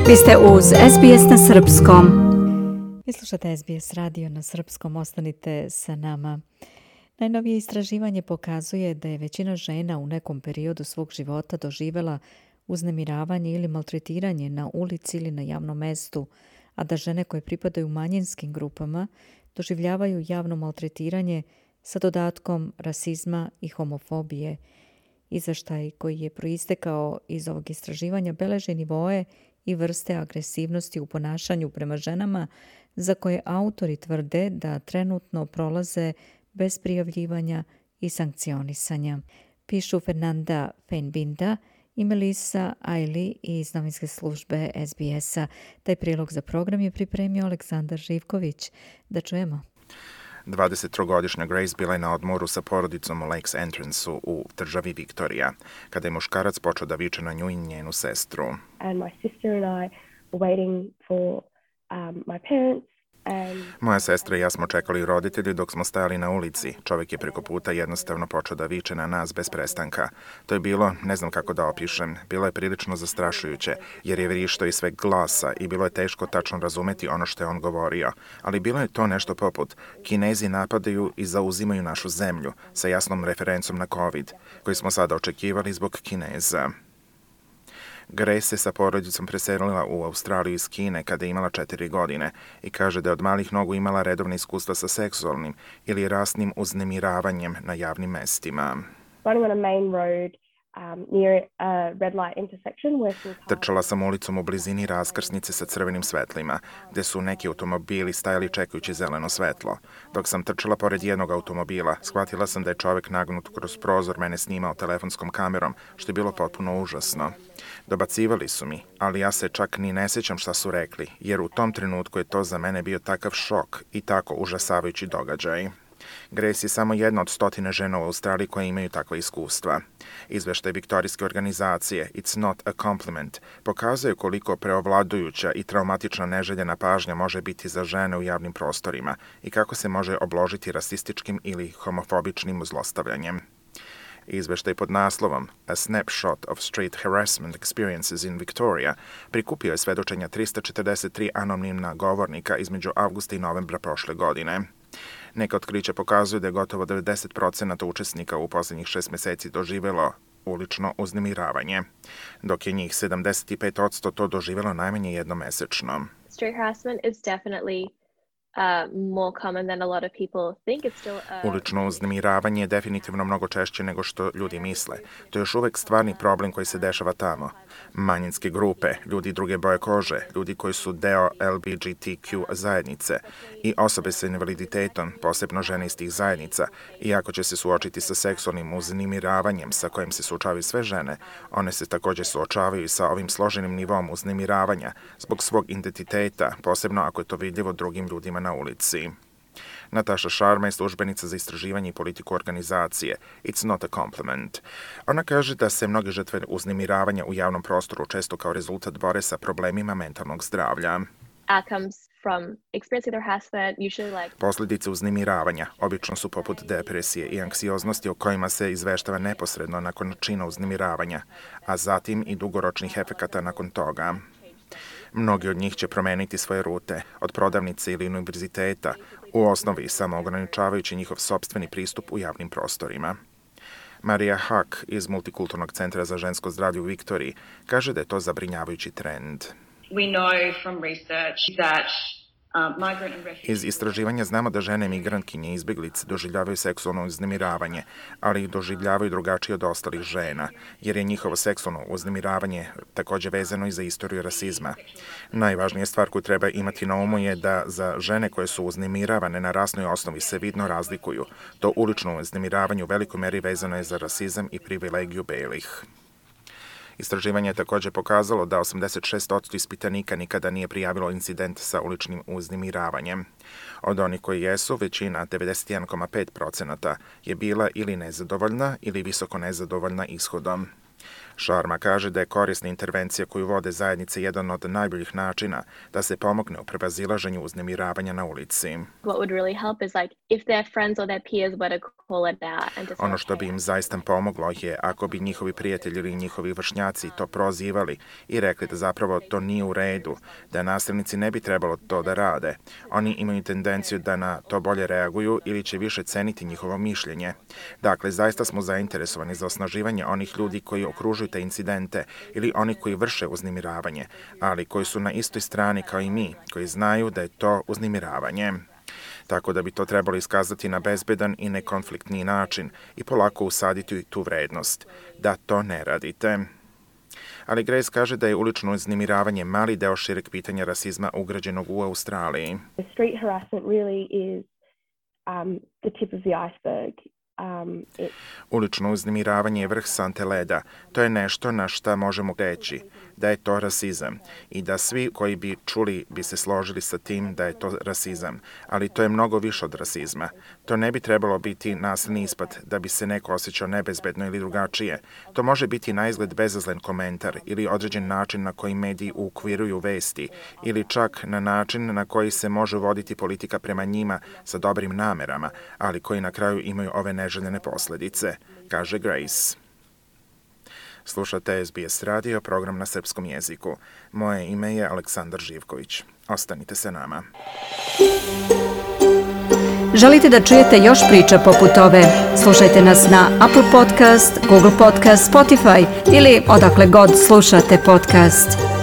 Vi ste uz SBS na srpskom. Vi slušate SBS radio na srpskom, ostanite sa nama. Najnovije istraživanje pokazuje da je većina žena u nekom periodu svog života doživjela uznemiravanje ili maltretiranje na ulici ili na javnom mestu, a da žene koje pripadaju manjinskim grupama doživljavaju javno maltretiranje sa dodatkom rasizma i homofobije. Izveštaj koji je proistekao iz ovog istraživanja beleži nivoe i vrste agresivnosti u ponašanju prema ženama za koje autori tvrde da trenutno prolaze bez prijavljivanja i sankcionisanja. Pišu Fernanda Feinbinda i Melissa Ailey iz novinske službe SBS-a. Taj prilog za program je pripremio Aleksandar Živković. Da čujemo. 23-godišnja Grace bila je na odmoru sa porodicom u Lakes Entrance-u u državi Viktorija, kada je muškarac počeo da viče na nju i njenu sestru. And my sister and I were waiting for my parents. Moja sestra i ja smo čekali roditelji dok smo stajali na ulici. Čovjek je preko puta jednostavno počeo da viče na nas bez prestanka. To je bilo, ne znam kako da opišem, bilo je prilično zastrašujuće, jer je vrištao iz sveg glasa i bilo je teško tačno razumeti ono što je on govorio. Ali bilo je to nešto poput: Kinezi napadaju i zauzimaju našu zemlju, sa jasnom referencom na COVID, koji smo sada očekivali zbog Kineza. Grace se sa porodicom preselila u Australiju iz Kine kada je imala 4 godine i kaže da je od malih nogu imala redovne iskustva sa seksualnim ili rasnim uznemiravanjem na javnim mestima. Trčala sam ulicom u blizini raskrsnice sa crvenim svetlima, gde su neki automobili stajali čekajući zeleno svetlo. Dok sam trčala pored jednog automobila, shvatila sam da je čovek nagnut kroz prozor mene snimao telefonskom kamerom, što je bilo potpuno užasno. Dobacivali su mi, ali ja se čak ni ne sjećam šta su rekli, jer u tom trenutku je to za mene bio takav šok i tako užasavajući događaj. Grace je samo jedna od 100 žena u Australiji koje imaju takva iskustva. Izveštaj viktorijske organizacije It's Not a Compliment pokazuje koliko preovladujuća i traumatična neželjena pažnja može biti za žene u javnim prostorima i kako se može obložiti rasističkim ili homofobičnim zlostavljanjem. Izveštaj pod naslovom A Snapshot of Street Harassment Experiences in Victoria prikupio je svedočenja 343 anonimna govornika između avgusta i novembra prošle godine. Neka otkrića pokazuju da je gotovo 90% učesnika u posljednjih 6 mjeseci doživjelo ulično uznemiravanje, dok je njih 75% to doživjelo najmanje jednomesečno. Street harassment is definitely more common than a lot of people think. It's still Ulično uznemiravanje je definitivno mnogo češće nego što ljudi misle. To je još uvek stvarni problem koji se dešava tamo. Manjinske grupe, ljudi druge boje kože, ljudi koji su deo LGBTQ zajednice i osobe sa invaliditetom, posebno žene iz tih zajednica, iako će se suočiti sa seksualnim uznemiravanjem sa kojim se suočavaju sve žene, one se također suočavaju i sa ovim složenim nivom uznemiravanja zbog svog identiteta, posebno ako je to vidljivo drugim ljudima na ulici. Nataša Sharma je službenica za istraživanje i politiku organizacije It's Not a Compliment. Ona kaže da se mnoge žrtve uznemiravanja u javnom prostoru često kao rezultat bore sa problemima mentalnog zdravlja. Posljedice uznemiravanja obično su poput depresije i anksioznosti o kojima se izveštava neposredno nakon čina uznemiravanja, a zatim i dugoročnih efekata nakon toga. Mnogi od njih će promeniti svoje rute, od prodavnice ili univerziteta, u osnovi samo ograničavajući njihov sopstveni pristup u javnim prostorima. Marija Huck iz Multikulturnog centra za žensko zdravlje u Viktoriji kaže da je to zabrinjavajući trend. Iz istraživanja znamo da žene migrantkinje i izbjeglice doživljavaju seksualno uznemiravanje, ali ih doživljavaju drugačije od ostalih žena, jer je njihovo seksualno uznemiravanje također vezano i za istoriju rasizma. Najvažnija stvar koju treba imati na umu je da za žene koje su uznemiravane na rasnoj osnovi se vidno razlikuju. To ulično uznemiravanje u velikoj meri vezano je za rasizam i privilegiju belih. Istraživanje je također pokazalo da 86% ispitanika nikada nije prijavilo incident sa uličnim uznemiravanjem. Od onih koji jesu, većina, 91,5%, je bila ili nezadovoljna ili visoko nezadovoljna ishodom. Sharma kaže da je korisna intervencija koju vode zajednice jedan od najboljih načina da se pomogne u prevazilaženju uznemiravanja na ulici. What would really help is like if their friends or their peers were to call it out and to say, Ono što bi im zaista pomoglo je ako bi njihovi prijatelji ili njihovi vršnjaci to prozivali i rekli da zapravo to nije u redu, da nasilnici ne bi trebalo to da rade. Oni imaju tendenciju da na to bolje reaguju ili će više ceniti njihovo mišljenje. Dakle, zaista smo zainteresovani za osnaživanje onih ljudi koji okružuju te incidente ili oni koji vrše uznemiravanje, ali koji su na istoj strani kao i mi, koji znaju da je to uznemiravanje. Tako da bi to trebalo iskazati na bezbedan i nekonfliktni način i polako usaditi tu vrednost, da to ne radite. Ali Grace kaže da je ulično uznemiravanje mali deo šireg pitanja rasizma ugrađenog u Australiji. The street harassment really is the tip of the iceberg. Ulično uznemiravanje je vrh sante leda. To je nešto na šta možemo reći da je to rasizam i da svi koji bi čuli bi se složili sa tim da je to rasizam, ali to je mnogo više od rasizma. To ne bi trebalo biti nasilni ispad da bi se neko osjećao nebezbedno ili drugačije. To može biti naizgled bezazlen komentar ili određen način na koji mediji ukviruju vesti ili čak na način na koji se može voditi politika prema njima sa dobrim namerama, ali koji na kraju imaju ove neželjene posledice, kaže Grace. Slušate SBS radio, program na srpskom jeziku. Moje ime je Aleksandar Živković. Ostanite sa nama. Želite da čujete još priča poput ove? Slušajte nas na Apple Podcast, Google Podcast, Spotify ili odakle god slušate podcast.